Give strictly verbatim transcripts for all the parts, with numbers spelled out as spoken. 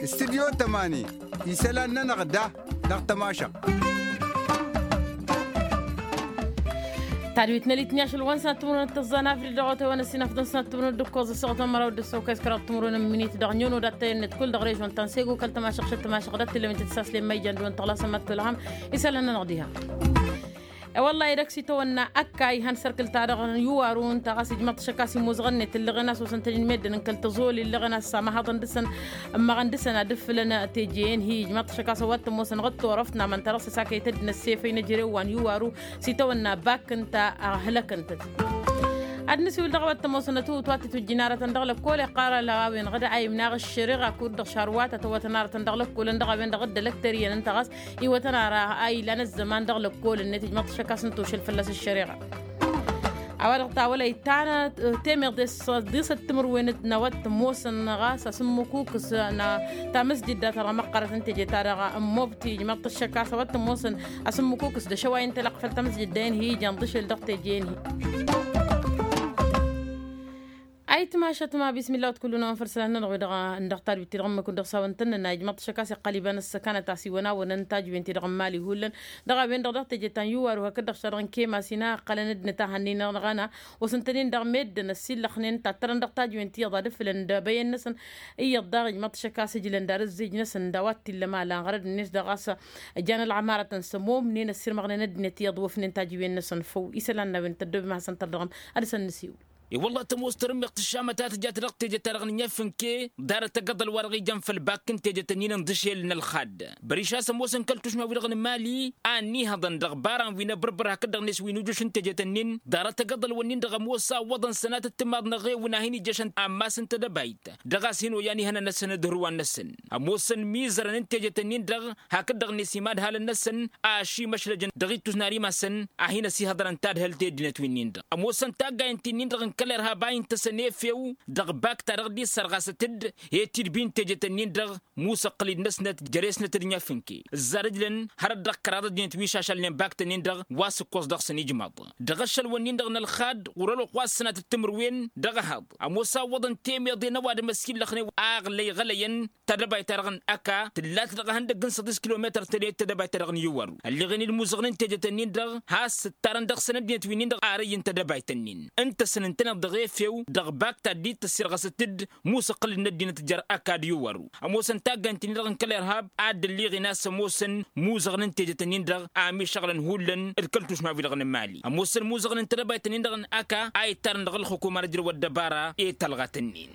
Studyo tămani isălan-nănăɣ da dăɣ-tămašăɣt. Tadwit n-elitni ašăl wa n-sănat timǝrwen d-tăẓẓa n-avri dăɣ-otewăn ăssinăf d-sănat timǝrwen d-ǝkkoẓ ăssoɣăt ămăraw d-ăssokăy s-kăraḍ timǝrwen n-minit dăɣ-nyăno dat-tăyănnet kull dăɣ-režon ta n-sego kăl-tămašăɣ šăt tămašăɣ dat-tǝllăwin tăt-saslen ma ijan dăɣ-wăn tăɣlasăn ma t-tolhăm. Isălan-nănăɣ diha. E-wălla-i dăɣ-s itawănna ăkka ihăn sărkǝl-ta-dăɣ n-iwaru ǝnta ɣas ijmăḍ-t šăkk a-s imuzăɣ-net ǝllăɣen a-s osăn-tăn-in meddǝn n-kăl-tăẓoli ǝllăɣen a-s amăhaḍăn dăɣ-săn. Ǝmmăɣăn dăɣ-săn ad-ǝfǝlăn teje-en hi ijmăḍ-t šăkk a-s ăwadǝm osăn ɣǝttorăft n-amăn ta dăɣ-s ăsakăyăt ăddinăt sefăy n-ejărew wa n-iwaru s-itawănna bak ǝnta ăhlăk ǝntăt. Ad-nǝsiwǝl dăɣ-ăwadǝm osăn ătwǝwǝt wa t-tǝtwǝjjǝn aratăn dăɣ-lăkkol iqqar ălɣawen ɣǝd a imnaɣ ăššăreɣa kud-dăɣ šarwatăt ăwătăn aratăn dăɣ-lăkkolăn dăɣ-a-wen-dăɣ dd-ălăktăr iyyăn ǝnta ɣas iwătăn ara a ilan ăzzăman dăɣ-lăkkol-net ijmăḍ-t šăkk a-s n-tošăl fălla-s ăššăreɣa. A-wa-dăɣ tawălăy ta n-temeḍe s-ăḍḍisăt timǝrwen n-awăt tămoosăn ɣas asǝmmǝkukǝs n-tamăsjid dat-dăɣ măqqărăt n-teje-ta-dăɣ n-mobti ijmăḍ-t šăkk a-s awăt tămoosăn asǝmmǝkukǝs d-ašăway n-telăqq făll-tamăsjid dăɣ-en hi-ija n-ḍǝšel dăɣ-teje-en hi. Ayǝtmašăt ma bismillah wăt kullu-năwăn făll-isălan-nănăɣ wi-dăɣ n-dăɣ tadwit-ti-dăɣ ǝmmǝk-wǝn dăɣ-s a-wăn tăn-nănna ijmăḍ-t šăkk a-s iqqăl iba n-ăssăkanăt a-s iwăn a-wănăn tajwen-ti-dăɣ n-imali hullan. Dăɣ-a-wen-dăɣ dăɣ-teje ta n-iwaru hakd-dăɣ šadăɣ n-kema s-ina ǝqqălăn ăddinăt a hănnen-dăɣ n-aɣăna osăn-tăn-in-dăɣ meddǝn ăssillăxnen tattărăn dăɣ-tajwen ti iyyăḍ ad-ǝfǝlăn d-abăyăn-năsăn. Iyyăḍ daɣ ijmăḍ-t šăkk a-s ǝjlăn d-arǝzzej-năsăn d-a-wa t-illăm a lanɣărăd-net dăɣ-a-s ǝjan ălɣămarătăn s-ămomnen ăssirmăɣnen ăddinăt iyyăḍ wăfnen tajwen-năsăn făw isălan n-a-wen tăddobem a hasăn-tărdăɣăm. Ad-dăɣ-săn-nǝsiwǝl. I-wălla tămoos tărǝmmeɣt ǝššamăt a tǝjat dăɣ-teje-ta-dăɣ n-inyăfǝnke ḍarăt agăḍăl wa dăɣ-ijan făll-bak n-tejet-ǝnnin n-dăšel n-ălxadd. Băriš a-s ămoosăn kăl-tušma-wi-dăɣ n-imali a ănniihăḍăn dăɣ-ibaran wi n-abărbăr hakd-dăɣ-net wi n-ujuš n-tejet-ǝnnin ḍarăt agăḍăl-wǝnnin-dăɣ ămoos a ǝwwăḍăn sănatăt timaḍ n-eɣewǝn a hin-ijjăšăn ammas n-tedăbayt dăɣ-a-s hin-oyyan ihănăn-năsăn d-hărwan-năsăn. Ămoosăn mizărăn n-tejet-ǝnnin-dăɣ hakd-dăɣ-net imadhalăn-năsăn ašimăšlăjăn dăɣ-ittus n-ar imasăn a hin-ăsihăḍărăn tadhǝlt i-ăddinăt wi-nin-dăɣ ămoosăn taggayăn ti-nin-dăɣ n-kăl-irhab a intăsăn efew dăɣ-bak-ta-dăɣ dd-issărɣasăt-dd i-tidbi n-tejet-ǝnnin-dăɣ musăqqǝl-dd-năsnăt jere-snăt d-inyafǝnke ǝzzar ǝjlăn hărăt dăɣ-kăraḍ ăddinăt wi šašălnen bak-tăn-in-dăɣ wa s-ǝkkoẓ dăɣ-săn ijmaḍ. Dăɣ-ašăl-wǝnnin-dăɣ n-ălxad ɣur-ălwăqq wa s-sănatăt timǝrwen dăɣ-ehăḍ ămoos a ǝwwăḍăn temeḍe n-ăwadǝm ăsillăxnen a ăɣlăy ɣălăyăn tadăbayt-ta-dăɣ n-ăka tǝllat dăɣ-ehăndăgg n-săḍis kilometăr tădayăt tadăbayt-ta-dăɣ n-iwwăru. Ălleɣen-dd imuzăɣnen tejet-ǝnnin-dăɣ has-ǝttarăn dăɣ-săn ăddinăt wi-nin-dăɣ arăyy n-tadăbayt-ǝnnin ǝntăsăn ǝntăneḍ dăɣ-efew dăɣ-bak ta dd-tăssirɣăsăt-dd musăqqǝl-dd n-ăddinăt jer-ăka d-iwwăru. Ămoosăn taggayăn-t-in-dăɣ n-kăl-irhab a dd-ălliɣen a-s ămoosăn muzăɣnen tejet-ǝnnin-dăɣ a mišăɣlăn hullan d-kăl-tušma-wi-dăɣ n-imali ămoosăn muzăɣnen tadăbayt-ǝnnin-dăɣ n-ăka a ittarăn dăɣ-ǝlxǝkum ar ǝjrăw ăddăbara i-talɣat-ǝnnin.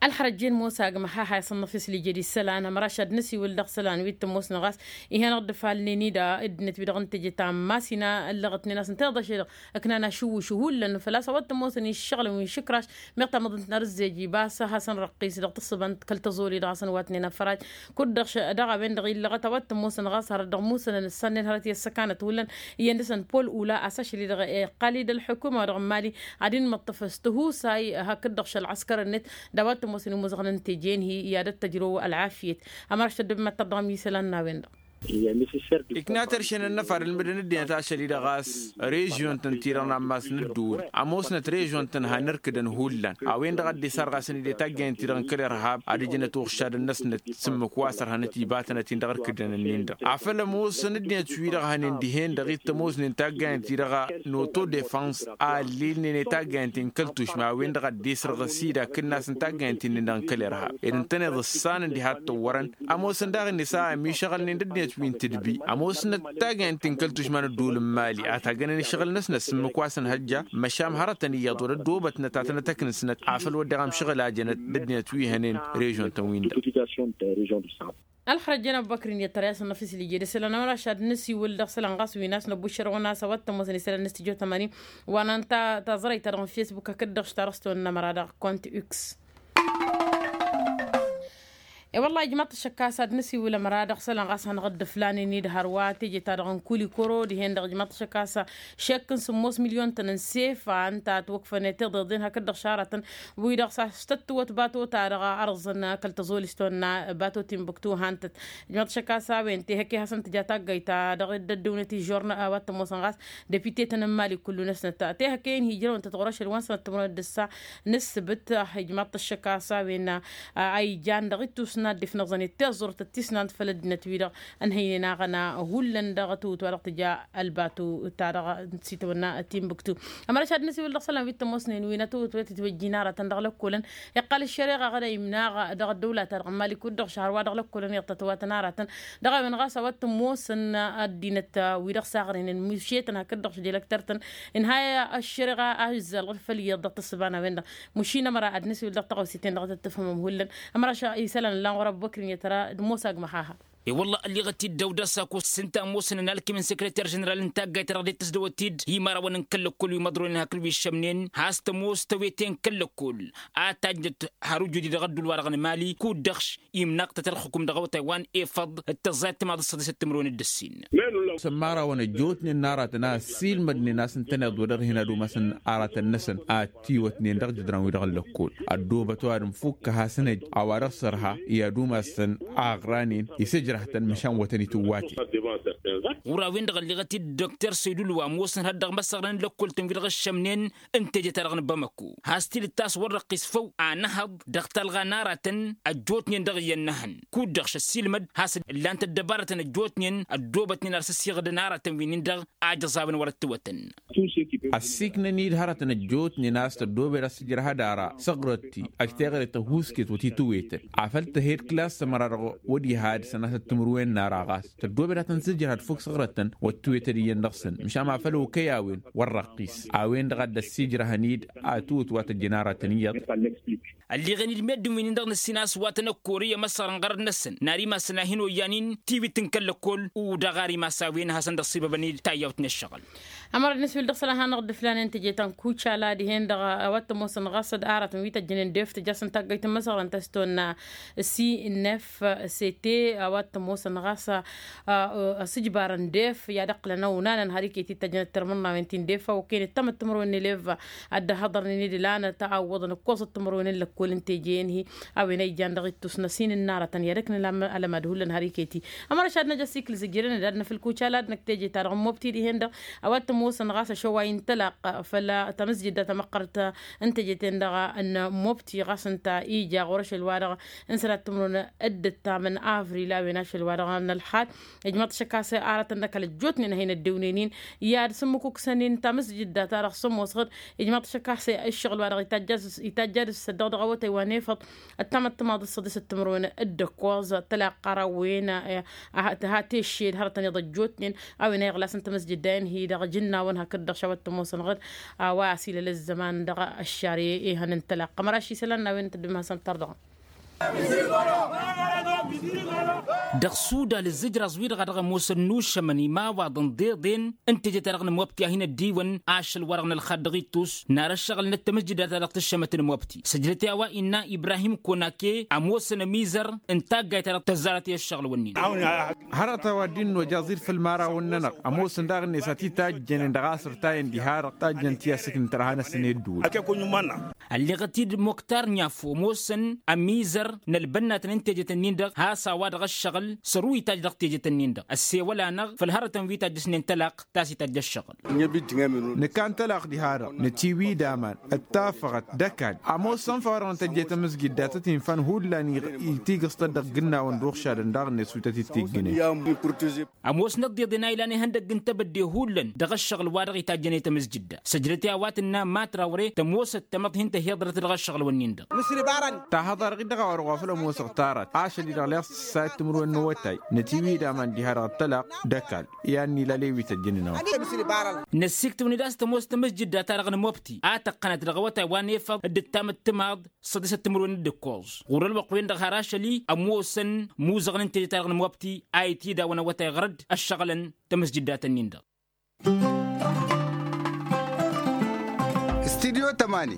Ălxărăjjen mosa agmăh a hayăs ănnăfis lijed isălan ămăraš ad-nǝsiwǝl dăɣ-isălan wi t-ămoosnăɣ a-s ihănăɣ-dd ăfalnen-i da ăddinăt wi-dăɣ n-teje ta n-masina ăllăɣătnen a-s ǝnta iḍăše-dăɣ ǝknan ašǝwwǝšǝw hullan făl-a-s a-wa t-ămoosăn iššăɣǝlăn wi n-išǝkraš. Meɣ tamăḍt n-arǝzzej iba a-s a hasăn-răqqis dăɣ-tǝssǝba n-kăl-tăẓoli dăɣ-hasăn-watnen afăraj. Kud-dăɣ dăɣ-a-wen-dăɣ illăɣăt a-wa t-ămoosăn ɣas hărăt dăɣ-musănăn ǝssannen hărăt i-ăssăkanăt hullan iyyăn dăɣ-săn pol ula a-s ašăl-i-dăɣ iqqal-dd ălḥukuma wa dăɣ-n mali ad-inmăṭṭăf s-tihusay hakd-dăɣ šăl ăskărăn-net d-a-wa t-ămoosăn imuzăɣnen teje-en-hi i-ad-ăttăjrăw ălɣafyăt. Ămăraš tăddobem ad-tărdăɣăm isălan n-a-wen-dăɣ. Ikna tăršen ănnăfar ǝlmǝdăn ăddinăt ašăl-i-dăɣ a-s režyon-tăn-ti-dăɣ n-ammas n-ădduul ămoosnăt režyon-tăn han ărkǝdăn hullan. A-wen-dăɣ a dd-isarɣasăn-dd i-taggayăn-ti-dăɣ n-kăl-irhab ad-ǝjnăt uɣšadăn-năsnăt s-ǝmmǝk wa sărhănăt ibatănăt-in dăɣ-ărkǝdăn-nin-dăɣ afăl ămoosăn ăddinăt wi-dăɣ hănen dihen-dăɣ i-t-ămoosnen taggayăn-ti-dăɣ n-autodefăns a ăllilnen i-taggayăn-ti n-kăl-tušma a-wen-dăɣ a dd-isrăɣ ăsidakǝn-asăn taggayăn-ti-nin-dăɣ n-kăl-irhab ed ǝntăneḍ ǝssanăn diha t-ăwwărăn. Ămoosăn daɣ-net a ămišăɣălnen d-ăddinăt wi n-tǝdbi ămoosnăt taggayăn-ti n-kăl-tušma n-ădduul n-mali ad-tagănen ǝššăɣǝl-năsnăt s-ǝmmǝk wa s-ănhăjja. Măšan hărătăn iyyăḍ wăr ăddoobătnăt ad-tăn-ătăknǝsnăt afăl wădden amšăɣǝl a jănăt d-ăddinăt wi hănen režyon-tăn-win-dăɣ. Ălxărăjjăn ăbubăkr-in i-ăttăr i-asăn n-afǝs lijed isălan ămăraš ad-nǝsiwǝl dăɣ-isălan ɣas wi n-asnăbuššărăwăn a-s a-wa t-ămoosăn isălan n-astijot ămăni wa n-anta taẓrăyt-ta-dăɣ n-fesbuk hakd-dăɣ š-tarăstăwăn n-ămăra dăɣ-kont x. E-wălla ijmaḍ-t ăššăk a-s ad-nǝsiwǝl ămăra dăɣ-isălan ɣas hanăɣ-dd-ǝflanen-dd hărwa teje-ta-dăɣ n-kulikoro dihen-dăɣ ijmaḍ-t ăššăk a-s šek n-sǝmmos milyon-tăn n-sefa ǝnta a ătwăkfănet iḍeḍen hakd-dăɣ šaratăn wi-dăɣ s-a-s tăt-tǝwăt bato-ta-dăɣ ărẓăn kăl-tăẓoli s-tonna bato timbuktu han-tăt. Ijmaḍ-t ăššăk a-s a-wen tehăkke hasăn-tǝja taggayt-ta-dăɣ dd-ăddǝwnet ižžorna a-wa t-ămoosăn ɣas depite-tăn n-mali kullu-năsnăt tehăkke-in hi-ijrăwăn-tăt ɣur-ašăl wa n-sănăt timǝrwen d-ǝssa n-ǝssǝbǝt. Ijmaḍ-t ăššăk a-s a-wen a ijan dăɣ-ittus n-ad-dd-ifnăẓăn i-tiẓẓurt d-tisnant făll-ăddinăt-wi-dăɣ ănhăynen aɣăna hullan dăɣ-tǝwǝt wa dăɣ-tǝja ălbatu-ta-dăɣ n-sitawănna timbuktu. Ămăra šad nǝsiwǝl dăɣ-isălan wi t-ămoosnen wi n-atǝwǝt wa t-itwăjjin aratăn dăɣ-lăkkolăn iqqăl ăššăreɣa ɣăr a imnaɣ dăɣ-ăddăwla-ta-dăɣ n-mali kud-dăɣ šăhăr wa dăɣ-lăkkolăn iyyăḍ tătwatăn aratăn dăɣ-a-wen ɣas a-wa t-ămoosăn ăddinăt-wi-dăɣ s-aɣrǝynen mušetăn hakd-dăɣ šădelăktăr-tăn. Inhăy ăššăreɣa a ǝzzalɣăt făll-iyyăḍ dăɣ-tǝssǝba n-a-wen-dăɣ mušin ămăra ad-nǝsiwǝl dăɣ-taɣăwse-ten-dăɣ a tăt-tǝfhǝmăm hullan. Ămăra isălan ǝllan ɣur-ăbubăkr-in i-tăra d-mosa agmăx-aha. E-wălla ălliɣăt-dd dăw-dăɣ s-akos s-ǝnta ămoosăn ănalkǝm n-sekreter ženeral n-taggayt-ta-dăɣ dd-tǝzdăwăt-dd i-imărawăn n-kăl-lăkkol wi măḍronen hakd wi ǝššămnen has-tămoos tăwete n-kăl-lăkkol a tajjăt har ujudi dăɣ-ădduul-wa-dăɣ n-mali kud-dăɣ imnăɣ-tăt ălxǝkum dăɣ-awătay wa n-efăḍ d-tăẓẓayăt timaḍ s-săḍisăt timǝrwen d-ǝssin. S-ămmarawăn ăjjootnen n-aratăn a ăssiilmădnen a-s ǝntăneḍ wa dăɣ-hin-ad-umasăn aratăn-năsăn a ăttiwătnen dăɣ-jǝdran-wi-dăɣ n-lăkkol ăddoobăt ăwadǝm fukk a hasăn-ăj a-wa dăɣ-sărha i-ad-umasăn aɣranen isǝjrăh-tăn măšan wa tăn-itǝwwate. Ɣur-a-wen-dăɣ ălliɣăt-dd dokter săydul wa ămoosăn had-dăɣ imăsăɣrăn n-lăkkol-tăn wi-dăɣ ǝššămnen n-teje-ta-dăɣ n-bamăko has-tilǝt ta s-wăr răqqis făw anăhăḍ dăɣ-talɣa n-aratăn ăjjootnen dăɣ-iyyăn n-ehăn kud-dăɣ šăssiilmăd has-ǝllan-t ăddăbarătăn ăjjootnen ăddoobătnen ar s-ăssiɣădăn aratăn wi-nin-dăɣ a jăẓawăn wăr-ăttăwătăn. Ăssiiknăn-dd hărătăn ăjjootnen a-s tăddoobed ad-sǝjrăh ad-ara săɣrăt-ti ăj teɣăre tăhuusket wăr t-itǝwwetăn afăl tăhed klas s-ămăra-dăɣ wăr iha ad-sănatăt timǝrwen n-ara ɣas tăddoobed ad-tăn-sǝjrăhăd fuk săɣrătăn wăr t-tǝwwetăd iyyăn dăɣ-săn măšan ma făl okăy a-wen wăr răqqis a-wen-dăɣ a dd-ăssiijrăhăn-dd a ǝtwǝt wa tăjjăn aratăn iyyăḍ. Ălliɣen-dd meddǝn wi-nin-dăɣ nǝssin a-s wa tăn-ăkkoorăy ămăsăɣrăn ɣărăt-năsăn n-ad-imassăn a hin-oyyan-in tiwit n-kăl-lăkkol udăɣ ar imass a-wen ad-hasăn-dd-ăṣṣibăbăn-dd tayyawt n-ǝššăɣǝl. Ămăra d-nǝswǝl dăɣ-isălan hanăɣ-dd-ǝflanen teje ta n-kucala dihen-dăɣ a-wa t-ămoosăn ɣas d-aratăn wi tăjjănen def tǝja-săn taggayt n-imăsăɣrăn ta s-tonna sinef sete a-wa t-ămoosăn ɣas ăsǝjbarăn def i-ad-ǝqqǝlăn ăwnanăn har iket-i tăjjănăt tărmǝnnawen ti n-def a okăyăn ǝttamăt timǝrwen n-eleva ad-dd-ăhhăḍărnen i-dd-lanăt a ăwwăḍăn ǝkkoẓăt timǝrwen n-lăkkol n-teje-en-hi. A-wen a ijan dăɣ-ittus n-asin n-aratăn i-ad-ăknǝl alămad hullan har iket-i. Ămăra šad năj ăsikǝl zǝjjărăn ad-năfǝl kucala ad-năkk teje-ta-dăɣ n-mobti dihen-dăɣ a-wa t-ămoosăn ɣas ašăway n-tălaqq făll-tamǝzjǝdda tamăqqărăt n-teje-ten-dăɣ n-mobti ɣas ǝnta ija ɣur-ašăl-wa-dăɣ n-sănat timǝrwen d-ǝttam n-avril a-wen ašăl-wa-dăɣ n-ălxad. Ijmăḍ-t šăkk a-s aratăn n-ăkall ăjjootnen a hin-ăddewnen-in i-ad-sǝmmǝkuksănen tamǝzjǝdda-ta-dăɣ sămoosăɣ-dd. Ijmăḍ-t šăkk a-s ǝššăɣǝl-wa-dăɣ itajj'-as itajj'-ad-ǝssăddăɣ dăɣ-awătay wa n-efăḍ ăttamăt timaḍ s-săḍisăt timǝrwen d-ǝkkoẓ tălaqq ɣăr a-wen. Tăha teššed hărătăn iḍăjjootnen a-wen a iɣlasăn tamǝzjǝdda-en-hi-dăɣ jǝnnawăn hakd-dăɣ šawăt tămoosănăɣ-dd. A-wa ăsilăl ăzzăman dăɣ-ăššar i-ihăn n-tălaqq ămăra ašisălan n-a-wen n-tăddum hasăn-tărdăɣăm. Dăɣ-sudal ǝzzǝjraẓ-wi-dăɣ a dăɣ-ămoosăn nušămăn imawaḍăn d-iḍen n-teje-ta-dăɣ n-mobti a hin-ăddiwăn ašăl-wa-dăɣ n-ălxad dăɣ-ittus n-ar ăššăɣǝlnăt tamǝzjǝdda-ta-dăɣ tǝššămăt n-mobti săjdăt i-a-wa innă ibrahim konake ămoosăn ămizăr n-taggayt-ta-dăɣ tăzzarăt i-ăššăɣǝl-wǝnnin. Hărăt a-wa dd-innojăẓ-dd făll-imărawăn-nănăɣ ămoosăn daɣ-net a t-itajjănen dăɣ-asǝrtayăn diha-dăɣ tajjăn-t i-asǝknǝt ărha-năsăn i-ădduul. Ălliɣăt-dd moktar n-yafo ămoosăn ămizăr n-ălbănnatăn n-tejet-ǝnnin-dăɣ has-a-wa-dăɣ ăššăɣǝl săr-u-itajj dăɣ-tejet-ǝnnin-dăɣ ăssewăl-anăɣ făll-hărătăn wi tajjăsnen talaqq ta s-itajj ăššăɣǝl. Nǝkan talaqq diha-dăɣ nătiwǝy d-aman d-tafăɣăt d-ăkall ămoos sănfăɣ-dăɣ n-tăjjăy tamǝzjǝdda tăt-infan hullan itigǝẓ-tăt dăɣ-igǝnnawăn d-uɣšadăn daɣ-net wi tăt-dd-tijjǝnen. Ămoosnăt d-iḍen a ilan ihăndăgg n-tebădde hullan dăɣ-ăššăɣǝl-wa-dăɣ itajjăn i-tamǝzjǝdda săjdăt i-a-wa tǝnna matrawre tămoosăt tamăḍhint ăhiḍrăt dăɣ-ăššăɣǝl-wǝnnin-dăɣ. Tahăḍa-dăɣ-dd dăɣ-a-wa dăɣ-wa făl ămoosăɣ tarat ašăl-i-dăɣ leɣ s-tǝssayăt timǝrwen n-awătay nătiwǝy d-aman diha-dăɣ ăṭṭălaq d-ăkall. I-ad-nǝla lewităjjăn-in-awătay. Năssiktǝwăn-dd a-s tămoos tamǝzjǝdda-ta-dăɣ n-mobti a tăqqănăt dăɣ-awătay wa n-efăḍ dd-ǝttamăt timaḍ săḍisăt timǝrwen d-ǝkkoẓ ɣur-ălwăqq-wen-dăɣ har ašăl-i ămoosăn imuzăɣăn n-teje-ta-dăɣ n-mobti a itidawăn awătay ɣăr-dd ăššăɣǝlăn tamǝzjǝddat-ǝnnin-dăɣ. Studyo tămani.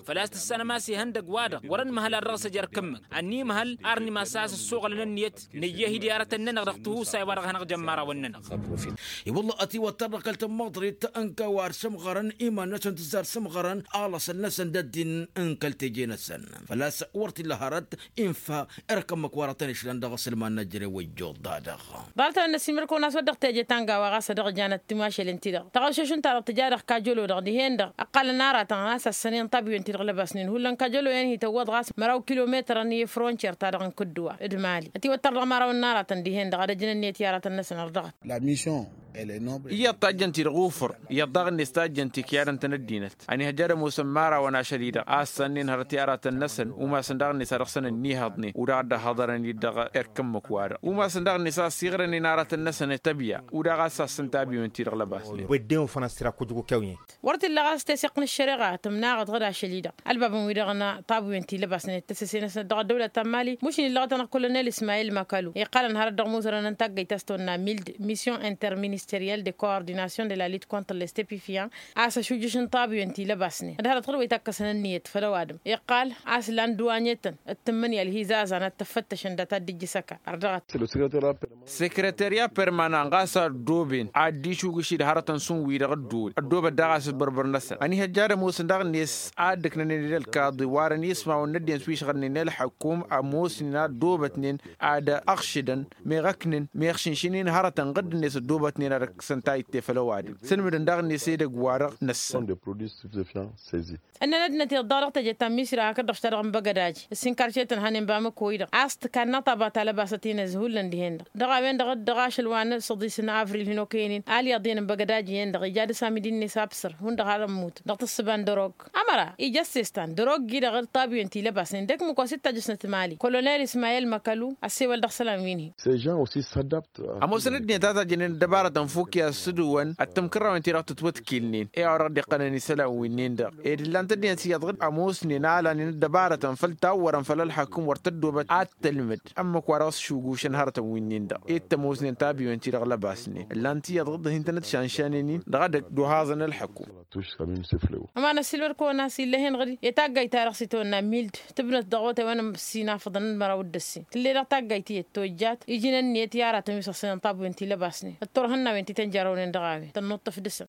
ălwăqq-nănăɣ făl-a-s tǝssanăm a-s ihăndăg-wa-dăɣ wăr-ănmăhăl ad-dăɣ-s ăj erk ǝmmǝk ănnimăhăl ar n-imass a-s ǝssuɣǝlăn ǝnniyăt nǝyya hi-dd i-aratăn-nănăɣ dăɣ-tihusay-wa-dăɣ a hanăɣ-jăn imărawăn-nănăɣ. I-wălla ătiwăttăr dăɣ-kăl-tămmăḍrit n-kăwar sǝmɣărăn iman-năsăn tǝzzar sǝmɣărăn alăsăl-năsăn d-ăddin n-kăl-teje-năsăn făl-a-s wăr t-illa hărăt infa erk ǝmmǝk wa dăɣ-tăn-išlan dăɣ-asǝlman n-ajre wa ijjoḍ-da-dăɣ. Ḍarăt-anăn n-ăsimărkăwăn a-s wăr dăɣ-teje tanga wa ɣas a dăɣ-janăt timašălen-ti-dăɣ taɣăššušt ǝnta-dăɣ tǝja dăɣ-kajălo-dăɣ dihen-dăɣ ǝqqălăn aratăn a-s ăssănen tabiyun-ti-dăɣ lăbasnen hullan kajălo-en hi-tăwwăḍ ɣas măraw kilometărăn i-frontiyer-ta-dăɣ n-kǝddǝwa d-mali ătiwăttăr dăɣ-imărawăn n-aratăn dihen-dăɣ ad-ăjǝn ǝnniyăt i-aratăn-năsăn ărdăɣăt. Iyyăḍ tajjăn-t-dăɣ ufǝr iyyăḍ daɣ-net tajjăn-t ikyadăn-tăn ăddinăt ănihăjja ad-ămoosăn imărawăn ašăl-i-dăɣ a ǝssannǝyăn hărăt i-aratăn-năsăn umasăn daɣ-net ad-dăɣ-săn ǝnnihăḍnen u-daɣ dd-ăhhăḍărăn-dd dăɣ-erk ǝmmǝk-wa-dăɣ umasăn daɣ-net a ǝssiɣrănen aratăn-năsăn tăbya u-daɣ a ǝssassăn tabiyun-ti-dăɣ lăbasnen. Wăr t-illa ɣas teseɣt n-ăššăreɣa tǝmnaɣăḍ ɣǝd-ašăl-i-dăɣ ălbabăn-wi-dăɣ n-tabiyun-ti lăbasnet tăsăse-năsnăt dăɣ-ăddăwlăt ta n-mali mušǝn illăɣăt-anăɣ kull ănel ismayil makalu iqqălăn hărăt dăɣ-imuzărăn n-taggăyt a-s tăwănna mild mission interministeriel de coordination de la lutte contre les stepifian a-s ăšujjǝš n-tabiyun-ti lăbasnen d-hărăt ɣǝd wa itakkăsăn ǝnniyăt făll-ăwadǝm iqqal a-s lan duwanyetăn d-tǝmmǝnǝya ălhizazan ad-t-ăffăttăšăn dat-ad-dd-ijjǝs ăkall ărdăɣăt. Sekreterya permanan ɣas a ăddooben ad-dd-išugǝš-dd hărătăn šund-wi-dăɣ ăddoobăt daɣ a-s ǝbbărbăr-năsăn ănihăjja ad-ămoosăn daɣ-net ad-ǝknănen d-ălkaḍi warăn ismawăn n-ăddinăt wi ǝšɣǝlnen i-ălḥăkum ămoosnen a ăddoobătnen ad-ăɣšǝdăn meɣ ăknǝn meɣ šǝnšǝnen hărătăn ɣǝdd-net ăddoobătnen ad-ǝksăn tayǝtte făll-ăwadǝm sǝnmǝdăn daɣ-net edăgg-wa-dăɣ năssăn. Ǝnnăn ăddinăt iyyăḍ daɣ dăɣ-teje ta n-misra hakd-dăɣ šita dăɣ-n băgădaj ǝssin karcetăn hănen bamăko-i-dăɣ a-s tǝkanna tabata lăbasăt-in ăzhullăn dihen-dăɣ dăɣ-a-wen-dăɣ dd-dăɣ ašăl wa n-săḍis n-avril hin-okăyăn-in alyaḍ-in n-băgădaj iyyăn-dăɣ ija dăr-s amidi-net absăr hundăɣ har ămmut dăɣ-tǝssǝba n-dărog ămăra ija ăssestan dărog-i-dăɣ tabiyăn ti lăbasnen d-ăkmǝk wa s-dd-tajjăsnăt mali kolonel ismayel măkălu ăssewăl dăɣ-isălan wi n-hi. Ămoosăn ăddinăt a tajjănen ăddăbarătăn fokk i-ad-sǝdǝwăn ăttămkărrawen-ti-dăɣ tǝtwătkilnen i-a-wa dăɣ-dd-iqqălăn isălan wi n-en-dăɣ ed ǝllan-t ăddinăt iyyăḍ ɣǝd ămoosnen a lanen ăddăbarătăn făll-tawwărăn făll-ălxakum wăr tăddoobăt ad-tălmǝd ămmăk wa dăɣ-s šugušăn hărătăn wi n-en-dăɣ ed tămoosnen tabiwen-ti-dăɣ lăbasnen ǝllan-t iyyăḍ ɣǝd hin-tăn-dd šanšanen-in dăɣ-edăgg d-ohaẓăn ălxăkum. Ămanăssilmăd-kăwăn a-s illa hen-dăɣ-dd etaggayt-ta-dăɣ s-itawănna mild tǝbnăt dăɣ-otay wa n-ămssin afăḍăn d-măraw d-ǝssin tǝll'-e-dăɣ taggayt iyyăt tojjat ijǝn ǝnniyăt i-aratăn wi s-ăṣṣinăn tabwen ti lăbasnen d-turhǝnnawen ti tăn-jarrăwnen dăɣ-a-wen tănnuṭṭǝf dăɣ-săn.